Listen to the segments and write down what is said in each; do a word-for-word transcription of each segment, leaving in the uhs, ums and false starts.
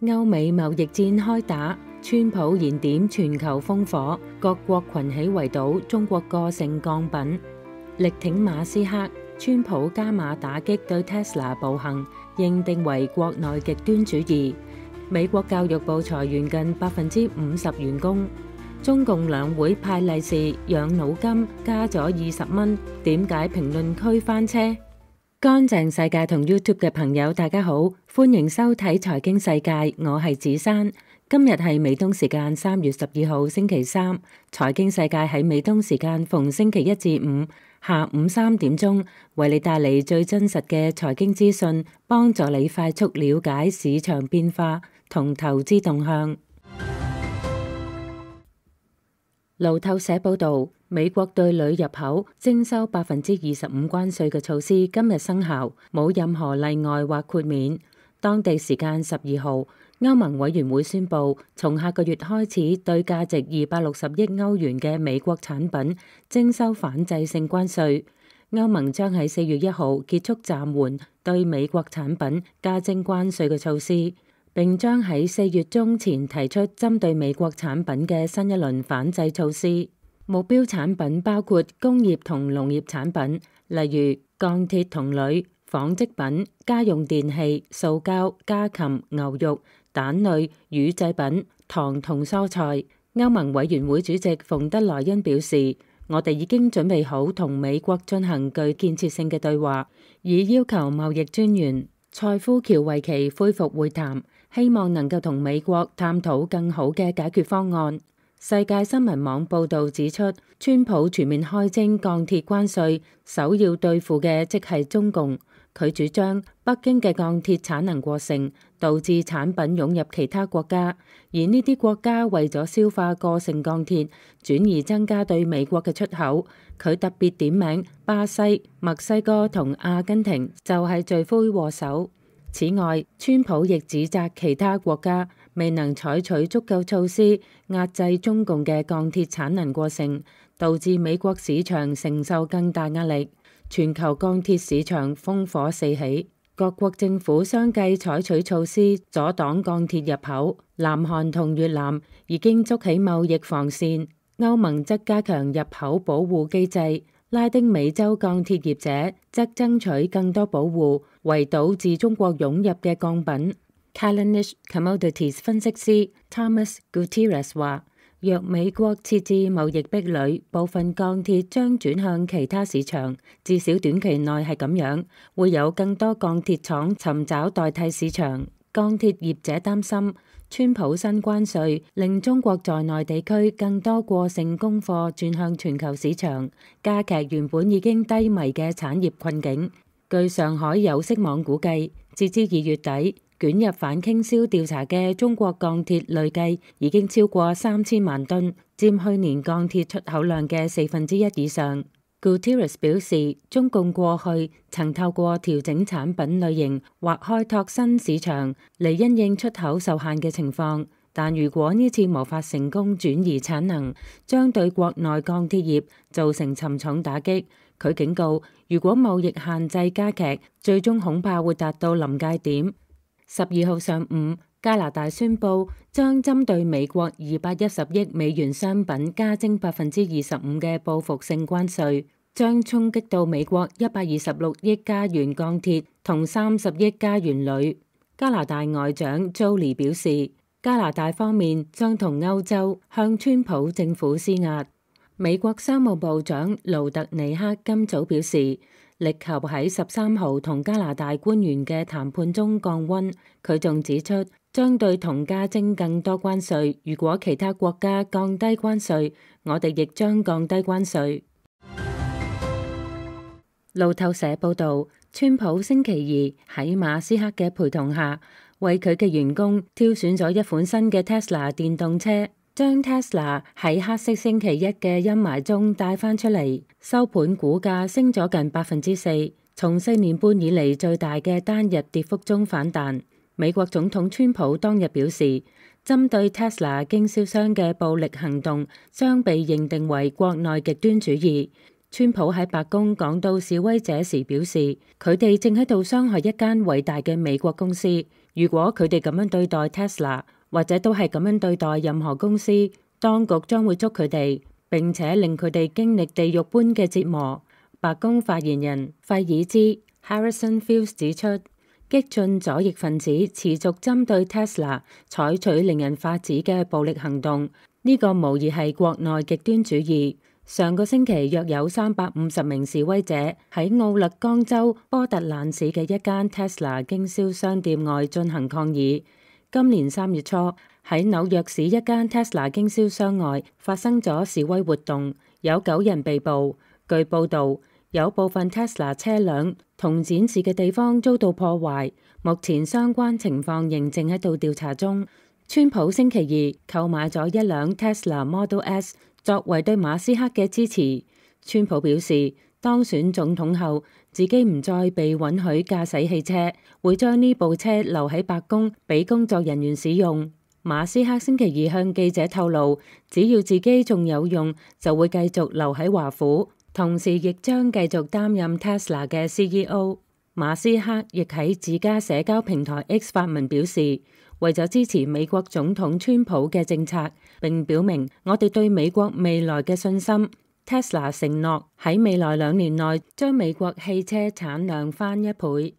歐美貿易戰開打，川普燃點全球烽火，各國群起圍堵中國個性鋼品，力挺馬斯克。川普加碼打擊對 Tesla 暴行，認定為國內極端主義。美國教育部裁員近百分之五十員工。中共兩會派利是養腦金加咗二十蚊，點解評論區翻車？乾淨世界同 YouTube 嘅朋友大家好，歡迎收睇財經世界，我係子珊。今日係美東時間三月十二號星期三，財經世界喺美東時間逢星期一至五下午三點鐘，為你帶嚟最真實嘅財經資訊，幫助你快速了解市場變化同投資動向。路透社報道，美國對鋁入口徵收百分之二十五關稅嘅措施今日生效，冇任何例外或豁免。當地時間十二號，歐盟委員會宣布，從下個月開始對價值二百六十億歐元嘅美國產品徵收反制性關稅。歐盟將喺四月一號結束暫緩對美國產品加徵關稅嘅措施，並將喺四月中前提出針對美國產品嘅新一輪反制措施。目標產品包括工業同農業產品，例如鋼鐵同鋁、紡織品、家用電器、塑膠、家禽、牛肉、蛋類、乳製品、糖同蔬菜。歐盟委員會主席馮德萊恩表示，我哋已經準備好同美國進行具建設性嘅對話，以要求貿易專員塞夫喬維奇恢復會談，希望能夠同美國探討更好嘅解決方案。世界新聞網報導指出，川普全面開徵鋼鐵關稅，首要對付嘅即係中共。佢主張北京嘅鋼鐵產能過剩，導致產品湧入其他國家，而呢啲國家為咗消化過剩鋼鐵，轉而增加對美國嘅出口。佢特別點名巴西、墨西哥同阿根廷就係罪魁禍首。此外，川普亦指責其他國家未能採取足夠措施壓制中共嘅鋼鐵產能過剩，導致美國市場承受更大壓力。全球鋼鐵市場烽火四起，各國政府相繼採取措施阻擋鋼鐵入口。南韓同越南已經築起貿易防線，歐盟則加強入口保護機制。拉丁美洲鋼鐵業者則爭取更多保護，圍堵自中國湧入嘅鋼品。Kallanish Commodities 分析師 Thomas Gutierrez 話，若美國設置貿易壁壘，部分鋼鐵將轉向其他市場，至少短期內係咁樣，會有更多鋼鐵廠尋找代替市場。鋼鐵業者擔心，川普新關稅令中國在內地區更多過剩供貨轉向全球市場，加劇原本已經低迷嘅產業困境。據上海有色網估計，截至二月底，捲入反傾銷調查嘅中國鋼鐵累計已經超過三千萬噸，佔去年鋼鐵出口量嘅四分之一以上。Gutierrez 表示，中共過去曾透過調整產品類型或開拓新市場嚟因應出口受限嘅情況，但如果呢次無法成功轉移產能，將對國內鋼鐵業造成沉重打擊。佢警告，如果貿易限制加劇，最終恐怕會達到臨界點。十二號上午，加拿大宣布將針對美國二百一十億美元商品加徵百分之二十五嘅報復性關稅，將衝擊到美國一百二十六億加元鋼鐵同三十億加元鋁。加拿大外長 Joly 表示，加拿大方面將同歐洲向川普政府施壓。美國商務部長盧特尼克今早表示，力求喺十三號同加拿大官員嘅談判中降溫。佢仲指出，將對同加徵更多關稅。如果其他國家降低關稅，我哋亦將降低關稅。路透社報導，川普星期二喺馬斯克嘅陪同下，為佢嘅員工挑選咗一款新嘅 Tesla 電動車，將 Tesla 喺黑色星期一嘅陰霾中帶返出嚟，收盤股價升咗近百分之四，從四年半以嚟最大嘅單日跌幅中反彈。美國總統川普當日表示，針對 Tesla 經銷商嘅暴力行動將被認定為國內極端主義。川普喺白宮講到示威者時表示，佢哋正喺度傷害一間偉大嘅美國公司。如果佢哋咁樣對待 Tesla，或者都係咁樣對待任何公司，當局將會捉佢哋，並且令佢哋經歷地獄般嘅折磨。白宮發言人費爾茲 Harrison Fields 指出，激進左翼分子持續針對 Tesla 採取令人髮指嘅暴力行動，呢、這個無疑係國內極端主義。上個星期約有三百五十名示威者喺奧勒岡州波特蘭市嘅一間 Tesla 經銷商店外進行抗議。今年三月初喺紐約市一間 Tesla 經銷商外發生咗示威活動，有九人被捕。據報導，有部分 Tesla 車輛同展示嘅地方遭到破壞，目前相關情況仍正喺度調查中。川普星期二購買咗一輛 Tesla Model S 作為對馬斯克嘅支持。川普表示，當選總統後，自己唔再被允許駕駛汽車，會將呢部車留喺白宮俾工作人員使用。馬斯克星期二向記者透露，只要自己仲有用，就會繼續留喺華府，同時亦將繼續擔任 Tesla 嘅 C E O。馬斯克亦喺自家社交平台 X 發文表示，為咗支持美國總統川普嘅政策，並表明我哋對美國未來嘅信心。Tesla 承諾喺未來兩年內將美國汽車產量翻一倍。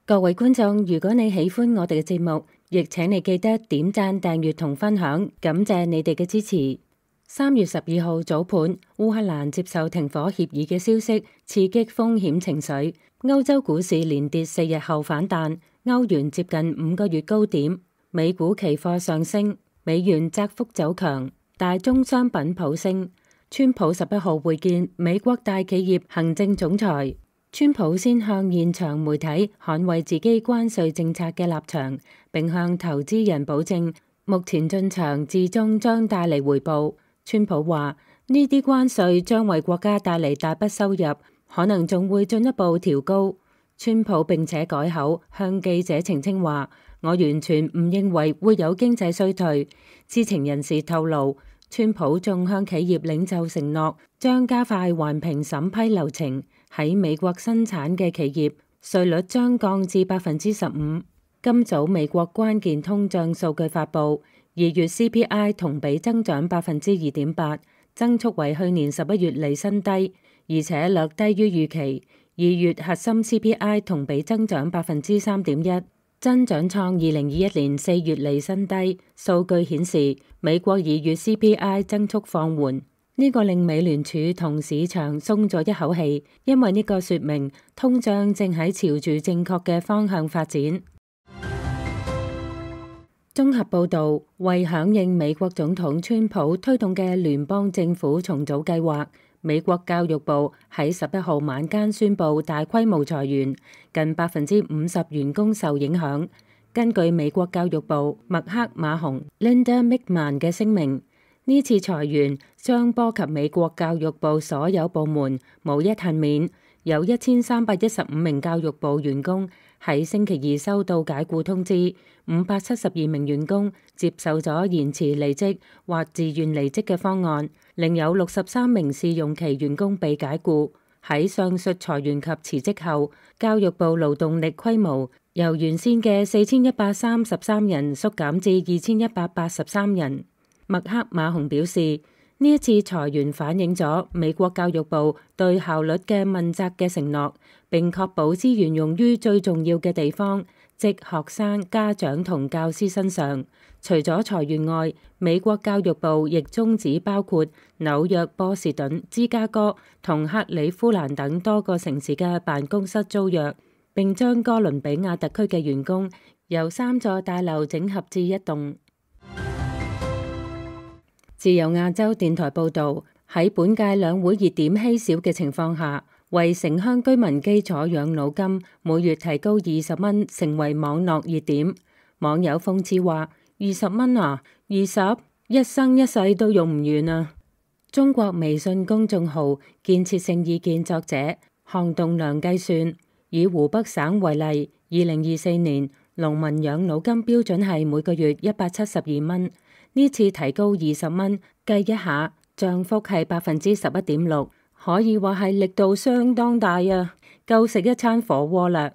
各位觀眾，如果你喜歡我哋嘅節目，亦請你記得點讚、訂閱同分享，感謝你哋嘅支持。三月十二號早盤，烏克蘭接受停火協議嘅消息，刺激風險情緒。歐洲股市連跌四日後反彈，歐元接近五個月高點，美股期貨上升，美元窄幅走強，大宗商品普升。川普十一號會見美國大企業行政總裁，川普先向現場媒體捍衛自己關稅政策嘅立場，並向投資人保證目前進場至終將帶嚟回報。川普話呢啲關稅將為國家帶嚟大筆收入，可能仲會進一步調高。川普並且改口向記者澄清話，我完全唔認為會有經濟衰退。知情人士透露，川普仲向企業領袖承諾，將加快環評審批流程，喺美國生產嘅企業稅率將降至百分之十五。今早美國關鍵通脹數據發布。二月 C P I 同比增長百分之二點八，增速為去年十一月嚟新低，而且略低於預期。二月核心 C P I 同比增長百分之三點一，增長創二零二一年四月嚟新低。數據顯示，美國二月 C P I 增速放緩，呢、這個令美聯儲同市場鬆咗一口氣，因為呢個說明通脹正喺朝住正確嘅方向發展。綜合報導，為響應美國總統川普推動嘅聯邦政府重組計劃，美國教育部喺十一號晚間宣布大規模裁員，近百分之五十員工受影響。根據美國教育部麥克馬洪 Linda McMahon 嘅聲明，呢次裁員將波及美國教育部所有部門，無一幸免。有一千三百一十五名教育部員工喺星期二收到解僱通知，五百七十二名員工接受咗延遲離職或自願離職嘅方案，另有六十三名試用期員工被解僱。喺上述裁員及辭職後，教育部勞動力規模由原先嘅四千一百三十三人縮減至二千一百八十三人。麥克馬洪表示，呢一次裁員反映咗美國教育部對效率嘅問責嘅承諾，並確保資源用於最重要嘅地方，即學生、家長同教師身上。除咗裁員外，美國教育部亦終止包括紐約、波士頓、芝加哥同克里夫蘭等多個城市嘅辦公室租約，並將哥倫比亞特區嘅員工由三座大樓整合至一棟。自由亞洲電台報導，喺本屆兩會熱點稀少嘅情況下，為城鄉居民基礎養老金每月提高二十蚊，成為網絡熱點。網友諷刺話：二十蚊啊，二十，一生一世都用唔完啊！中國微信公眾號建設性意見作者項棟樑計算，以湖北省為例，二零二四年農民養老金標準係每個月一百七十二蚊。呢次提高二十蚊，計一下，漲幅係百分之十一點六，可以話係力度相當大啊，夠食一餐火鍋啦。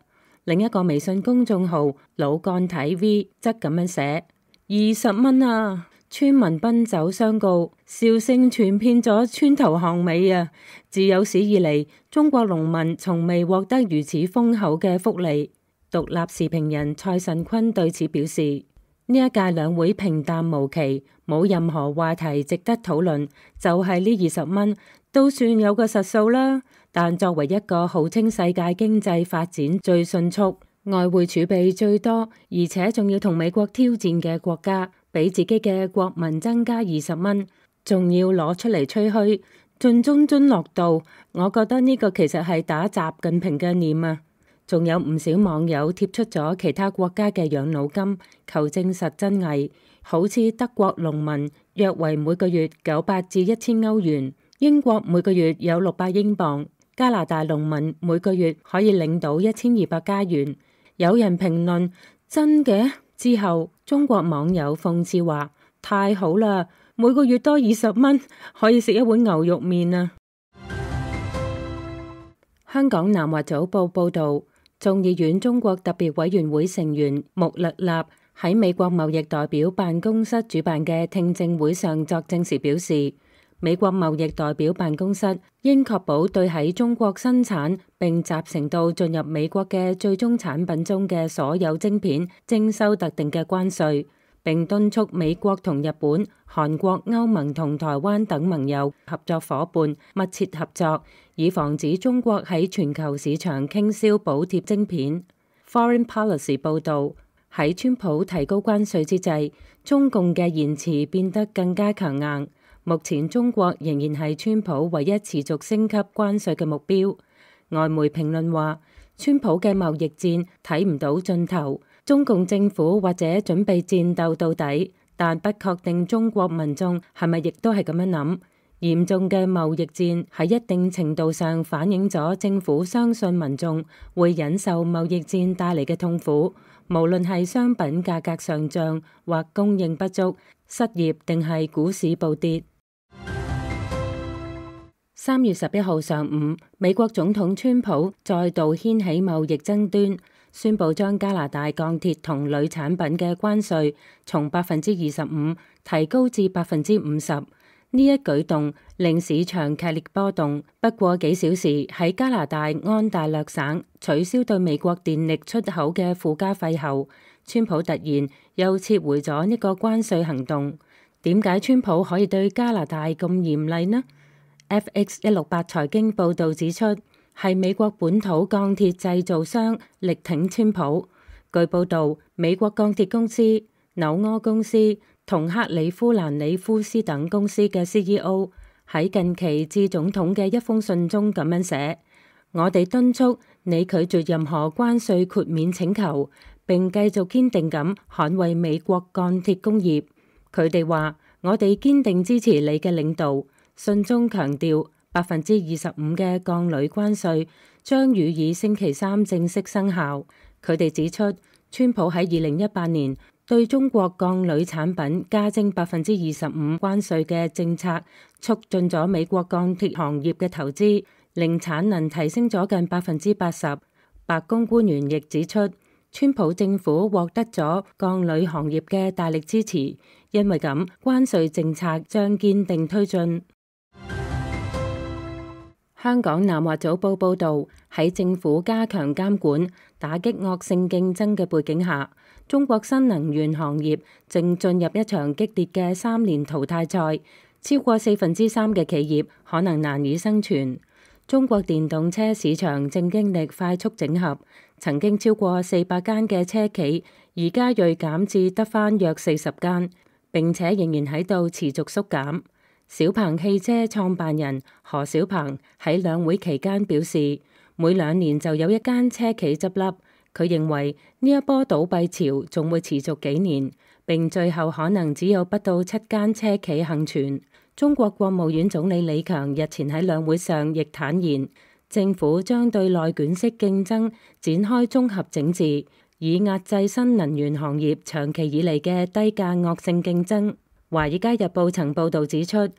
另一個微信公眾號老幹睇 V 則咁樣寫：二十蚊啊！村民奔走相告，笑聲傳遍咗村頭巷尾啊！自有史以嚟，中國農民從未獲得如此豐厚嘅福利。獨立時評人蔡慎坤對此表示：呢一屆兩會平淡無奇，冇任何話題值得討論，就係呢二十蚊都算有個實數啦。但作為一個號稱世界經濟發展最迅速、外匯儲備最多，而且仲要同美國挑戰嘅國家，俾自己嘅國民增加二十蚊，仲要攞出嚟吹噓，盡忠津樂道。我覺得呢個其實係打習近平嘅臉啊！仲有唔少網友貼出咗其他國家嘅養老金，求證實真偽。好似德國農民約為每個月九百至一千歐元，英國每個月有六百英鎊，加拿大農民每個月可以領到一千二百加元。有人評論真嘅？之後中國網友諷刺話：太好啦，每個月多二十蚊，可以食一碗牛肉麵啊！香港南華早報報道，眾議院中國特別委員會成員穆勒納喺美國貿易代表辦公室主辦嘅聽證會上作證時表示，美國貿易代表辦公室應確保對喺中國生產並集成到進入美國嘅最終產品中嘅所有晶片徵收特定嘅關稅，並敦促美國同日本、韓國、歐盟同台灣等盟友合作夥伴密切合作，以防止中國喺全球市場傾銷補貼晶片。Foreign Policy 報導，喺川普提高關稅之際，中共嘅言辭變得更加強硬。目前中國仍然係川普唯一持續升級關稅嘅目標。外媒評論話，川普嘅貿易戰睇唔到盡頭，中共政府或者準備戰鬥到底，但不確定中國民眾係咪亦都係咁樣諗。嚴重嘅貿易戰喺一定程度上反映咗政府相信民眾會忍受貿易戰帶嚟嘅痛苦，無論係商品價格上漲或供應不足、失業定係股市暴跌。三月十一號上午，美國總統川普再度掀起貿易爭端，宣布將加拿大鋼鐵同鋁產品嘅關稅從百分之二十五提高至百分之五十。呢一舉動令市場劇烈波動。不過幾小時，喺加拿大安大略省取消對美國電力出口嘅附加費後，川普突然又撤回咗呢個關稅行動。點解川普可以對加拿大咁嚴厲呢？F X 一六八財經報導指出，係美國本土鋼鐵製造商力挺川普。據報導，美國鋼鐵公司、紐柯公司同克里夫蘭里夫斯等公司嘅 C E O 喺近期致總統嘅一封信中咁樣寫：我哋敦促你拒絕任何關稅豁免請求，並繼續堅定咁捍衛美國鋼鐵工業。佢哋話：我哋堅定支持你嘅領導。信中強調，百分之二十五嘅鋼鋁關稅將予以星期三正式生效。佢哋指出，川普喺二零一八年對中國鋼鋁產品加徵百分之二十五關稅嘅政策，促進咗美國鋼鐵行業嘅投資，令產能提升咗近百分之八十。白宮官員亦指出，川普政府獲得咗鋼鋁行業嘅大力支持，因為咁，關稅政策將堅定推進。香港南華早報報導，喺政府加強監管、打擊惡性競爭嘅背景下，中國新能源行業正進入一場激烈嘅三年淘汰賽，超過四分之三嘅企業可能難以生存。中國電動車市場正經歷快速整合，曾經超過四百間嘅車企，而家銳減至得返約四十間，並且仍然喺度持續縮減。小鵬汽車創辦人何小鵬喺兩會期間表示，每兩年就有一間車企執笠。佢認為呢一波倒閉潮仲會持續幾年，並最後可能只有不到七間車企幸存。中國國務院總理李強日前喺兩會上亦坦言，政府將對內卷式競爭展開綜合整治，以壓制新能源行業長期以嚟嘅低價惡性競爭。《華爾街日報》曾報導指出，呢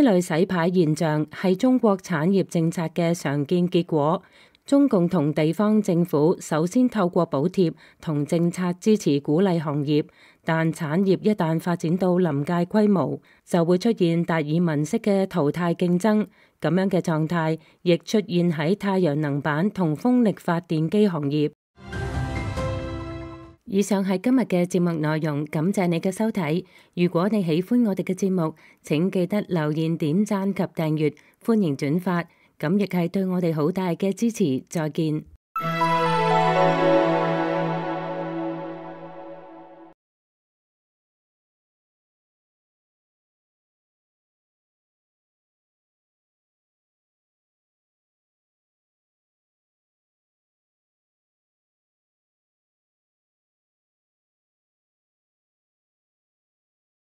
類洗牌現象係中國產業政策嘅常見結果。中共同地方政府首先透過補貼同政策支持鼓勵行業，但產業一旦發展到臨界規模，就會出現達爾文式嘅淘汰競爭。咁樣嘅狀態亦出現喺太陽能板同風力發電機行業。以上係今日嘅節目內容，感謝你嘅收睇。如果你喜歡我哋嘅節目，請記得留言、點讚及訂閱，歡迎轉發，咁亦係對我哋好大嘅支持。再見。